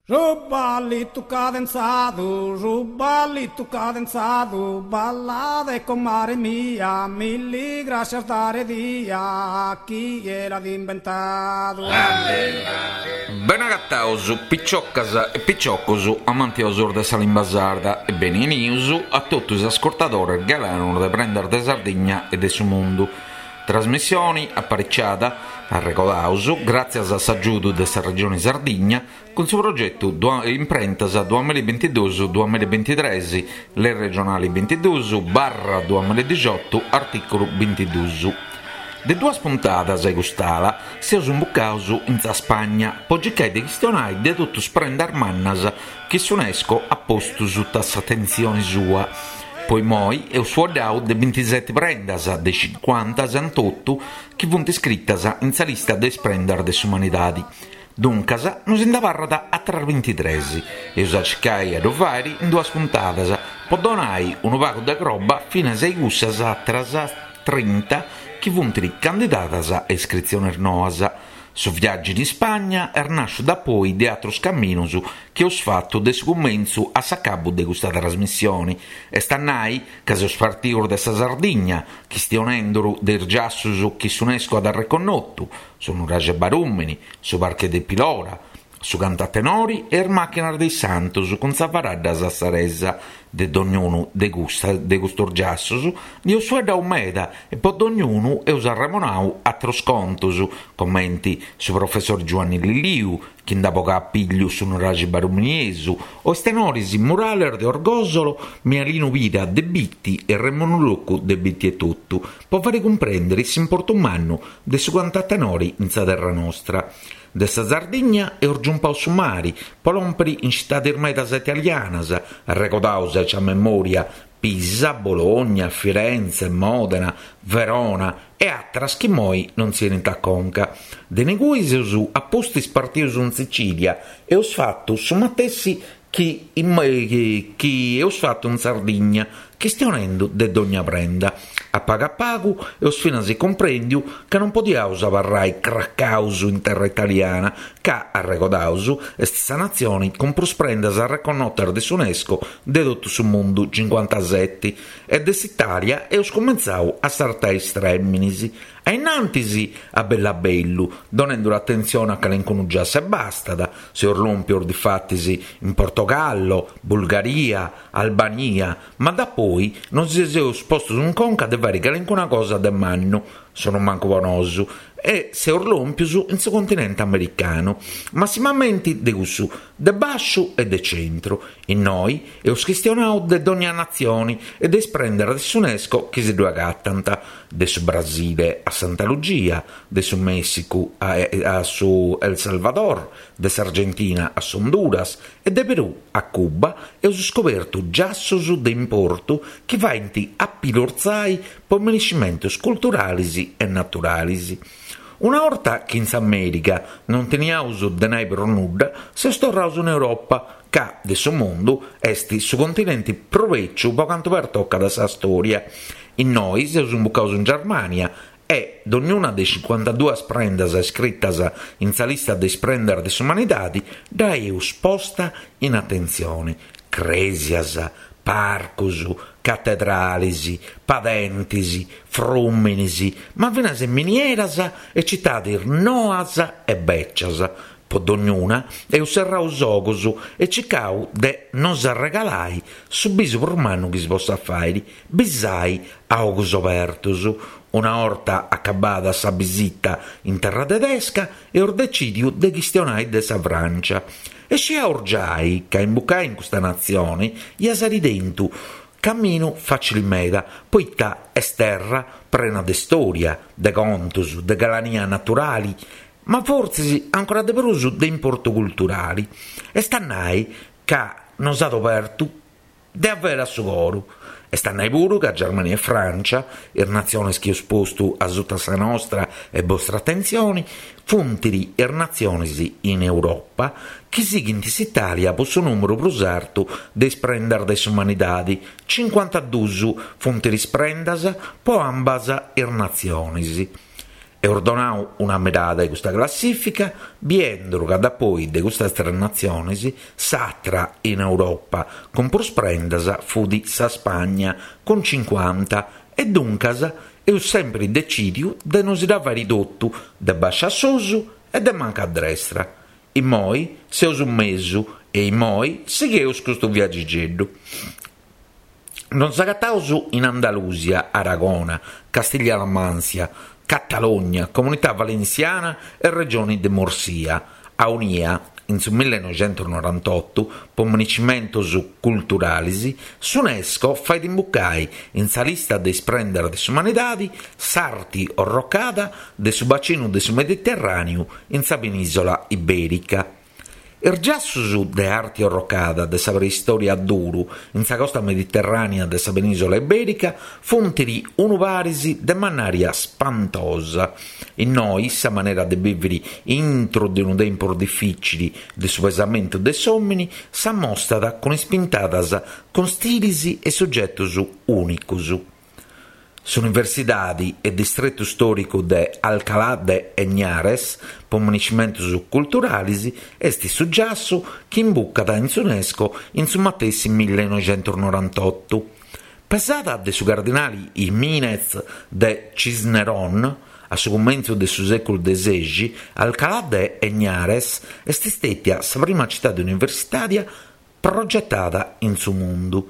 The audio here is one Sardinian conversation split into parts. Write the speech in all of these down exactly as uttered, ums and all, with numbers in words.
Su ballitu cadenzadu, su ballitu cadenzadu, ballade comare mia, milli grascias dare dia, chie l'at imbentadu. Benagataus piciocas e piciocos amantiosos de sa limba sarda e beni 'enius a totu is ascurtadores galanos de Prendas de Sardigna e de su mundu. Trasmissione apariciada, arregodaus, gràtzias a s'agiudu de sa Regione Sardigna, cun su progetu Imprentas duamilla e bintiduus duamilla e bintitres, Lei regionale bintiduus barra duamilla e dixiotu, artìculu bintiduus. De duas puntadas a cust'ala seus imbucaus in sa Spagna po circai de chistionai de totu is prendas mannas chi s'UNESCO at postu suta s'atentzione sua. Po immoi eus fueddau de bintiseti prendas de cincuantasetotu chi funt iscritas in sa lista de is prendas de s'umanidadi. Duncas nos nd'abarrat àteras bintitres. Eus a circai a ddu fàere in duas puntadas po donai unu pagu de croba finas a cussas àteras trinta chi funt candidadas a iscritziones noas. Su viàgiu in Ispagna est nàsciu dapoi de àteros caminos chi eus fatu de su cumentzu a s'acabu de custa trasmissione. Est a nai ca seus partius de sa Sardigna, chistionenduru de is giassus chi s'UNESCO at arreconnotu, su Nuraxe Barumini, su Parche de Pilora, su cantu a tenori e is màchinas de is Santos cun sa faradda sassaresa. De dognunu de custa, de custos giassos nd'eus fueddau meda e po dognunu eus arremonau àteros contos, comenti su professor Giuanni Lilliu, chi nd'at bogau a pigliu su Nuraxi Baruminiesu, o is tenores murales de Orgosolo, Mialinu Pira de Bitti e Remonu Roccu de Bitti etotu, po fare cumprèndere s'importu mannu de su cantu a tenori in sa terra nostra. De sa Sardigna eus giumpau su mari, po lòmpere in citades medas italianas, arregodaus aici a memoria Pisa, Bologna, Firenze, Modena, Verona e àteras chi immoi non si 'enint a conca. De ingui seus a pustis partius in Sicilia e eus fatu su matessi chi, chi, chi eus fatu in Sardigna, chistionendu de dogna prenda. A pagu a pagu eus finas cumprèndiu ca non podiaus abarrai cracaus in terra italiana, ca, arregodaus, est sa natzione cun prus prendas arreconnotas de s'UNESCO de totu su mundu, cincuantaseti, e de s'Italia eus cumentzau a sartai is trèminis. A innantis a bellu a bellu, donendu atentzione a calincunu giassu e bastat, seus lòmpios difatis in Portogallo, Bulgaria, Albania, ma dapoi nos seus postos in conca de fare calincuna cosa de mannu, sono mancu po nosu, e seus lòmpios in su continente americanu, massimamente de cussu de basciu e de centru. Innoi eus chistionau de dogna natzione e de is prendas de s'UNESCO chi si ddu agatant, de su Brasile a Santa Lucia, de su Messicu a, a su El Salvador, de s'Argentina a s'Honduras e de Perù a Cuba, eus scobertu giassos de importu chi faint apilorzai po meniscimentos culturales e naturales. Una 'orta chi in s'America non teniaus de nai prus nudda, seus torraus in Europa, ca de su mundu est su continente prus becciu po cantu pertocat sa storia. Innoi seus imbucaus in Germania e dognuna de cincuantaduas prendas iscritas in sa lista de is prendas de s'umanidade dda eus posta in atentzione. Cresias, parcos, catedrales, padentes, frùmenes, ma finas minieras e citades noas e becias. Po dognuna eus serrau is ogus e circau de nos arregalai su bisu prus mannu chi si possat fàere, bisai a ogus obertos. Una 'orta acabada sa bisita in terra tedesca, eus decidiu de chistionai de sa Francia. E sciaus giai ca imbucai in custa natzione iat s'ari tentu caminu facile meda, poita est terra prena de storia, de contos, de galania naturali, ma fortzis ancora de prus de importu culturali. Est a nai ca nos at obertu de avere su coru. Est a nai puru ca Germania e Francia, is natziones chi eus postu a sutta sa nostra e vostra atentzione, funt is natziones in Europa chi sighint s'Italia po su numeru prus artu de is prendas de s'umanidade, cincuantaduus funt is prendas po ambas is natziones. Eus donau una mirada a custa classifica, biendu ca dapoi de custas tres natziones, s'atra in Europa cun prus prendas fut sa Spagna cun cincuanta e duncas eus sempri decidiu de non si dda fari totu de bascia a susu e de manca a destra. Immoi seus in mesu e immoi sigheus custu viagigeddu. Nos agataus in Andalusia, Aragona, Castiglia-La Mancia, Catalogna, Comunità Valenciana e Regioni de Murcia. Aunia, in su millenoixentusnorantottu, po manicimentos culturales, s'UNESCO fait imbucai in sa lista de is prendas de s'umanidade s'arti orrocada de su bacinu de su Mediterràneu in sa penisola iberica. Is giassus de arti orrocada de sa preistoria a duru in sa costa mediterranea de sa penisola iberica funt unu paris de mannaria spantosa. Innoi sa manera de bivere intro de unu tempus difficile de su pesamentu de s'omini s'ammostat cun is pintadas cun stilis e soggetos unicos. S'Universidade e distretu storicu de Alcalá de Henares, po manicimentos culturales, est su giassu chi imbucat in s'UNESCO in su matessi millenoixentusnorantottu. Pesada de su cardinale Jiménez de Cisneros, a su cumentzu de su seculu de sexi, Alcalá de Henares est stetia sa prima cittade universitaria progettada in su mundu.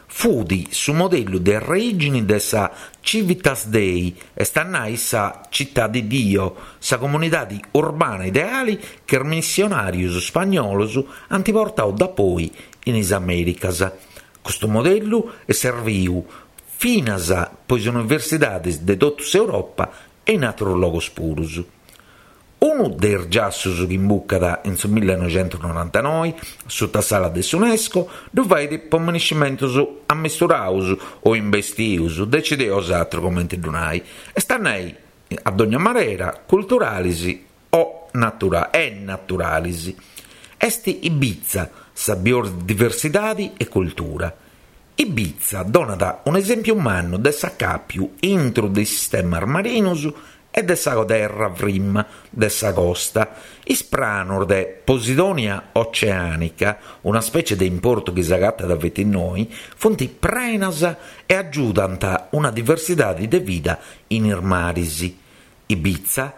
Fut su modellu de reigine de sa Civitas Dei, est a nai sa città di Dio, sa comunidade urbana ideale che is missionarios spagnolos ant portau dapoi in is Americas. Custu modellu est serviu finas po is universidades de totu s'Europa e in ateros logos purus. Unu de is giassus chi imbucat in su millenoixentusnorantanoe sutta s'ala de s'UNESCO ddu fait po manicimentos ammisturaus o imbestius, decideus atru comente ddu nai. Est a nai, a dogna manera, culturales o natura e naturales. Est Ibiza sa biodiversidade e cultura. Ibiza donat un esempiu mannu de s'acapiu intro de sistemas marinos e de sa terra prima de sa costa. Is pranos de Posidonia oceanica, una specie de importu chi s'agatat feti innoi, funt prenas e agiudant una diversidade de vida in is maris. Ibiza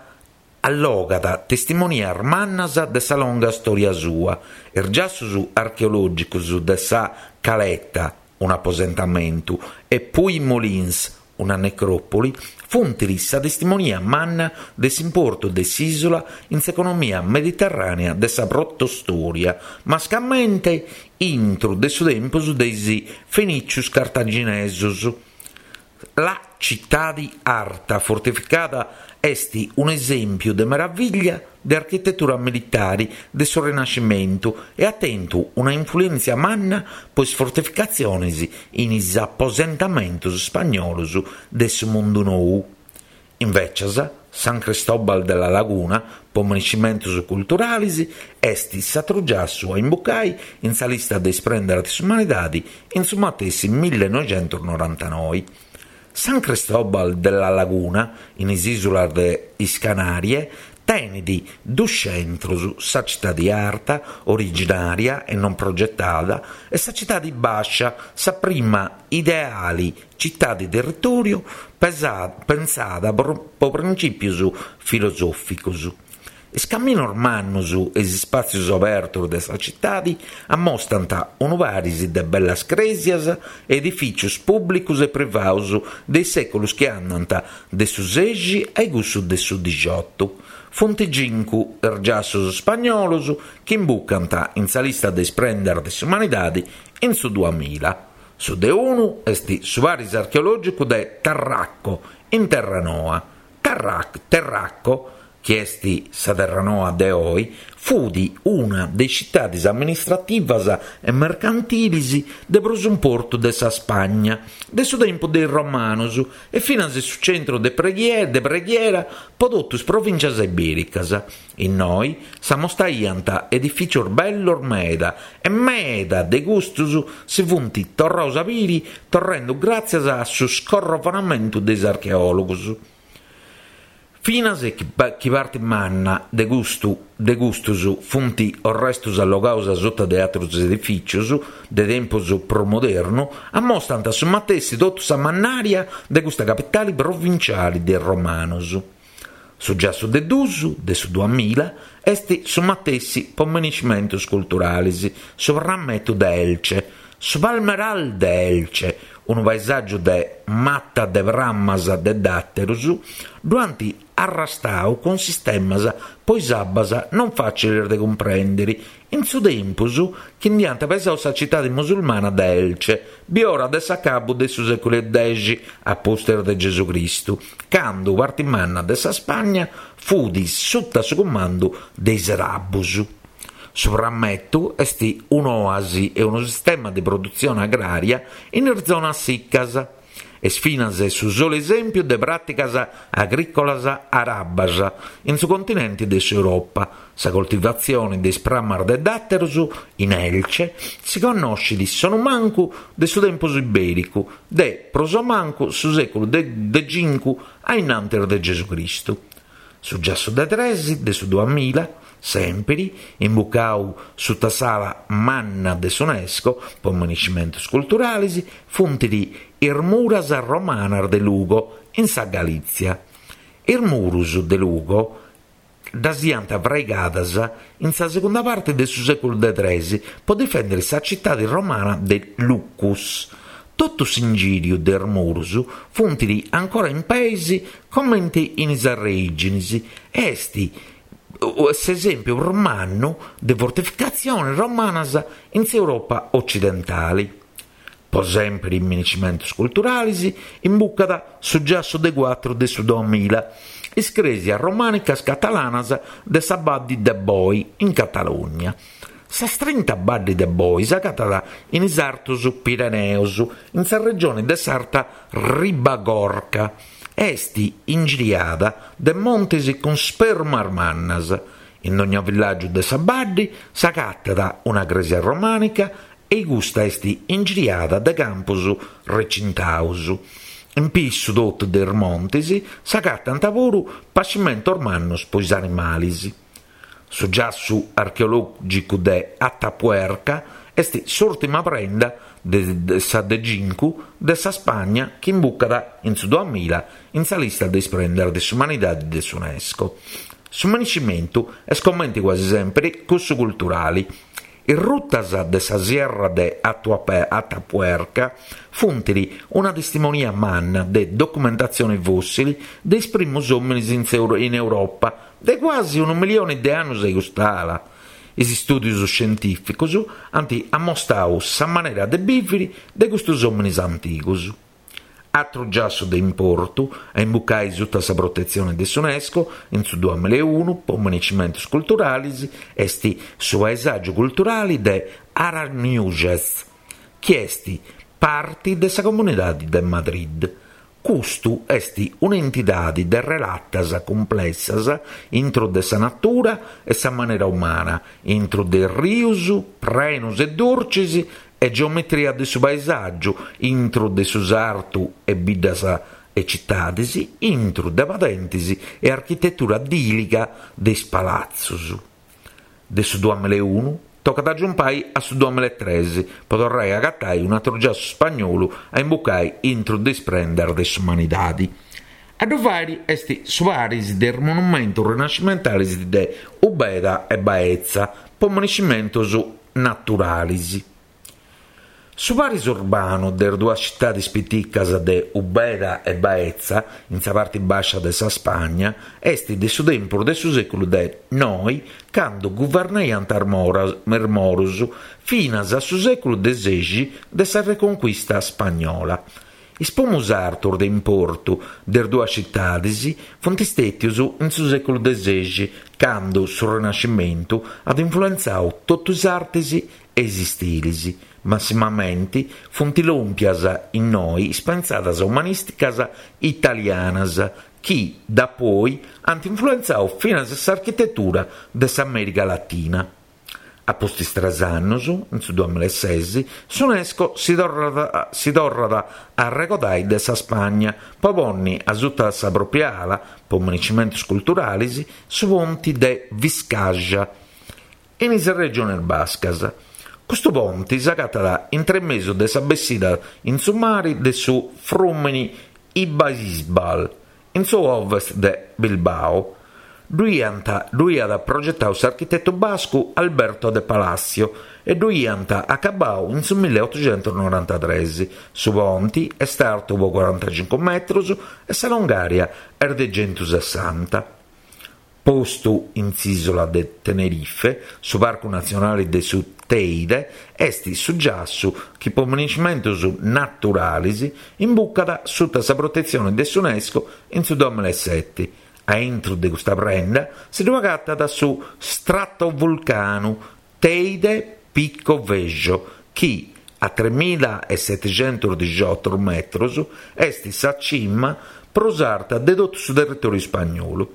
allogat testimonias mannas de sa longa storia sua, is giassus archeologicos de sa Caleta, un aposentamentu, e Puymolins, una necropoli, funt sa testimonia manna de s'importu de s'isola in s'economia mediterranea de sa protostoria, mascamente intro de su tempus de is fenicios cartaginesos. La cittade arta fortificata est un esempio de meraviglia de architettura militare de su Rinascimento e ha tentu una influenza manna po is fortificatziones in is aposentamentos spagnolos de su mundu nou. Invecias, San Cristóbal de la Laguna, po manicimentos culturales, est s'atru giassu a imbucai in sa lista de is prendas de s'umanidade in su matessi millenoixentusnorantanoe. San Cristóbal de la Laguna, in is isulas de is Canarie, tenet dus centros, sa cittade arta, originaria e non progettada, e sa cittade bascia, sa prima ideale cittade territorio pensada po principios filosoficos. Is caminos mannos e is spazios abertos de sa cittade ammostant unu paris de bellas cresias e edificios públicos e privaos de séculos che andant de su sexi ai cussu de su diciotto. Funt cincu is giassus spagnolos chi imbucant in sa lista de is prendas de s'umanidade in su duamila. Su de unu est su paris archeologicu de Tarraco, in Terranoa. Tarrac, Terraco, chi est sa Terranoa de oi, fut una de cittades amministrativas e mercantilis de prus importu de sa Spagna, de su tempu de is Romanos e finas su centru de preghiera, de preghiera po totu is provincias ibericas. Innoi s'ammostaiant edificios bellos meda e meda de custos si funt torraus a biri torrendo gratzias a su scorrovonamentu de is archeologos. Finas chi parti manna de custu de custus funt orrestus allogaus sutta de atrus edificius de tempus prus modernu, ammostant su matessi totu sa mannaria de custa capitale provinciale de is romanus. Su giassu de dus, de su duamilla, est su matessi po monumentus culturales, su prammetu de Elche, su Palmeral de Elche, unu paesàgiu de mata de prammas de dàteros, ddu ant arrastau cun sistemas po is abbas non fàciles de cumprèndere, in su tempus chi nd'iant pesau sa citade musulmana de Elche, biora de s'acabu de su sèculu dexi a pustis de Gesù Cristu, cando parte manna de sa Spagna fut sutta su cumandu de is arabos. Su prammetu est un'oasi e unu sistema de produtzione agrària in is zonas siccas. Est finas su solu esèmpiu de pràticas agrìcolas arabas in su continente de s'Europa. Sa coltivatzione de is prammas de dàteros in Elche si connoschet sonumancu de su tempus ibèricu, de prus o mancu su sèculu de cincu a innantis de Gesù Cristu. Su giassu de tres de su duamilla, sempri, imbucau sutta s'ala manna de s'UNESCO po monumentos culturales, funt is muras romanas de Lugo, in sa Galizia. Is muros de Lugo ddas iant fraigadas in sa segunda parte de su sèculu de tres po difèndere sa citade romana de Lucus. Totu s'ingìriu de is muros funt ancora in peis comente in is arrèigines e est s'esèmpiu prus mannu de fortificatziones romanas in s'Europa occidentale. Po sempre in monumentos culturales imbucat su giassu de cuatru de su duamilla, is crèsias romànicas catalanas de sa Badde de Boi in Catalugna. Sa strinta Badde de Boi s'agatat in is Artos Pireneos, in sa regione de s'Arta Ribagorca. Est ingiriada de montes cun spermas mannas. In ogni villàgiu de sa Badde s'agatat una crèsia romànica e custa est ingiriada de campos recintados. In pissu totu de is montes s'agatant puru pascimentos mannos po is animales. Su giassu archeològicu de Atapuerca est s'ùrtima prenda de, de sa de cincu de sa Spagna chi imbucat in su duamilla in sa lista de is prendas de s'umanidade de s'UNESCO. Su monumentu est comente quasi sempre cussu culturale. Is rutas de sa Sierra de Atapuerca funt una testimonia manna de documentatzione fossile de is primos òmines in Europa, de quasi unu milione de annos a cust'ala. Is istùdios scientìficos ant ammostadu sa manera de bìvere de custos òmines antigos. Atru giassu de importu a imbucai sutta sa protetzione de s'UNESCO in su duamilla e unu po monumentos culturales est su paesàgiu culturale de Aranjuez, chi est parte de sa Comunidade de Madrid. Custu est un'entidade de relatas cumplessas intro de sa natura e sa manera umana, intro de rios, prenos e durches e geometria de su paesàgiu, intro de su sartu e biddas e citades, intro de padentes e architetura dìliga de is palatzos. De su duamilla e unu tocat a giumpai a su duamilla e tres po torrai a agatai un atru giassu spagnolu a imbucai intro de is prendas de s'umanidade. A ddu fàere est su paris de is monumentos rinascimentales de Ubeda e Baeza po monumentos naturales. Su paris urbanu de is duas citades piticas de Ubeda e Baeza, in sa parte bàscia de sa Spagna, est de su tempus de su sèculu de noi, cando guvernaiant is moros, finas a su sèculu de sexi de sa Reconquista spagnola. Is primos artos de importu de is duas citades funt istètios in su sèculu de sexi, cando su Rinascimentu at influentzadu totu is artes e is istiles. Massimamente funt lòmpias innoi is pensadas umanìsticas italianas, chi dapoi ant influentzadu finas s'architetura de s'Amèrica Latina. A pustis tres annos, in su duamillaesès, s'UNESCO si torrat, si torrat a arregodai de sa Spagna po ponni a sutta sa propria ala, po municimentos culturales, su ponti de Vizcaya, in is regiones bascas. Custu ponti s'agatat intremesu de sa bessida in su mare de su frùmene Ibaizabal, in su ovest de Bilbao. Ddu iat progetadu s'architetu bascu Alberto de Palacio e ddu iant acabadu in su milleottocentonorantatrès. Su ponti est artu po quarantacincu metros e sa longària est de centusessanta. Postu in s'ìsula de Tenerife, su Parcu Natzionale de su Teide est su giassu chi po municimentos naturales imbucat sutta sa protetzione de s'UNESCO in su duamillaesete. A intro de custa prenda si ddu agatat su stratovulcanu Teide Pico Vejo, chi a tremillaesettecentodiciotto metros est sa cima prus arta de totu su territoriu ispagnolu.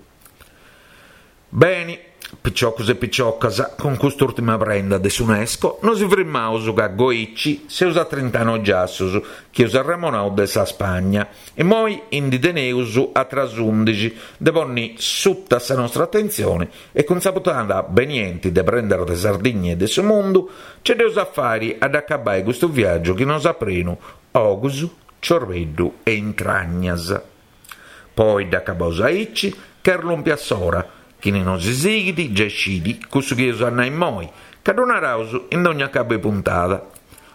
Beni, picioccos e picioccas, cun cust'urtima prenda de s'UNESCO nos firmaus ca goicci seus a trintanoe giassos chi eus arremonau de sa Spagna e moi indi teneus atras undixi de ponni sutta sa nostra attenzione e cun sa puntada benienti de Prendas de Sardigna e de su mundu ce dd'eus a fari ad acabai custu viaggiu chi nos at prenu ogus, ciorbeddu e intragnas. Poi dd'acabaus aici, che erlumpia s'ora. Chini non si sighit, già scidi, cussu chi eus a nai moi, ca ddu naraus in ogni acabu 'e puntada.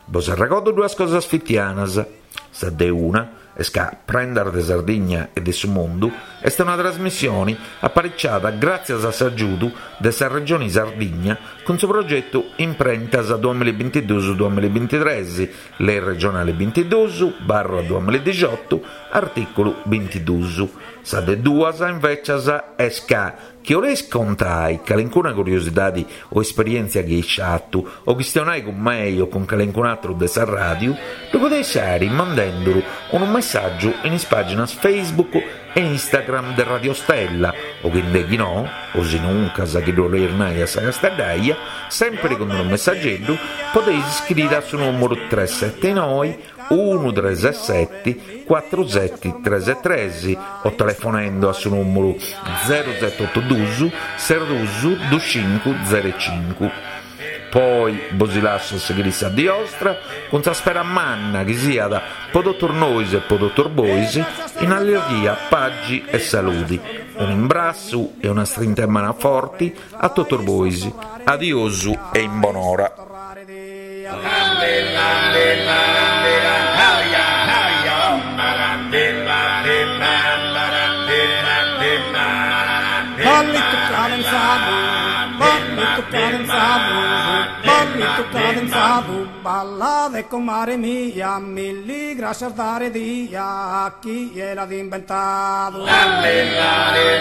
Bos arregodo duas cosas fitianas. Sa de una est ca Prendas de Sardigna e de su Mundu est una trasmissione apparicciata gràtzias a s'aggiudu de sa Regione Sardigna cun su progettu Imprentas duemillaebintiduus duemillaebintitrès, Lei regionale bintiduus barra duemillaediciotto, articulu bintiduus. Sa de duas, invecias, est ca chi 'oleis contai calincuna curiosidade o esperientzia chi eis fatu o chistionai cun mei o cun calincun atru de sa ràdiu, ddu podeis fari mandenduru unu messaggiu in is pàginas Facebook e Instagram de Radio Stella o chi nde chi no, o si nuncas chi ddu 'oleis nai a sa casteddaia, sempre cun unu messaggeddu podeis iscriri a su nùmeru tres sette noe unu tres sette quattro sette tres tres o telefonendo a su nùmeru zero sette otto dus zero dus dus cincu zero cincu. Poi bos lassu a sighire sa die ostra cun sa spera manna chi siat po totus nois e po totus bois in allegria, pagi e saludi. Un imbrassu e una strinta 'e manu forti a totus bois. Adiosu e in bonora. Ballito cadenzado, ballito cadenzado, ballito cadenzado, balla de comare mia, mille gracias dare dia a chi l'ha inventado. Bella, bella, bella.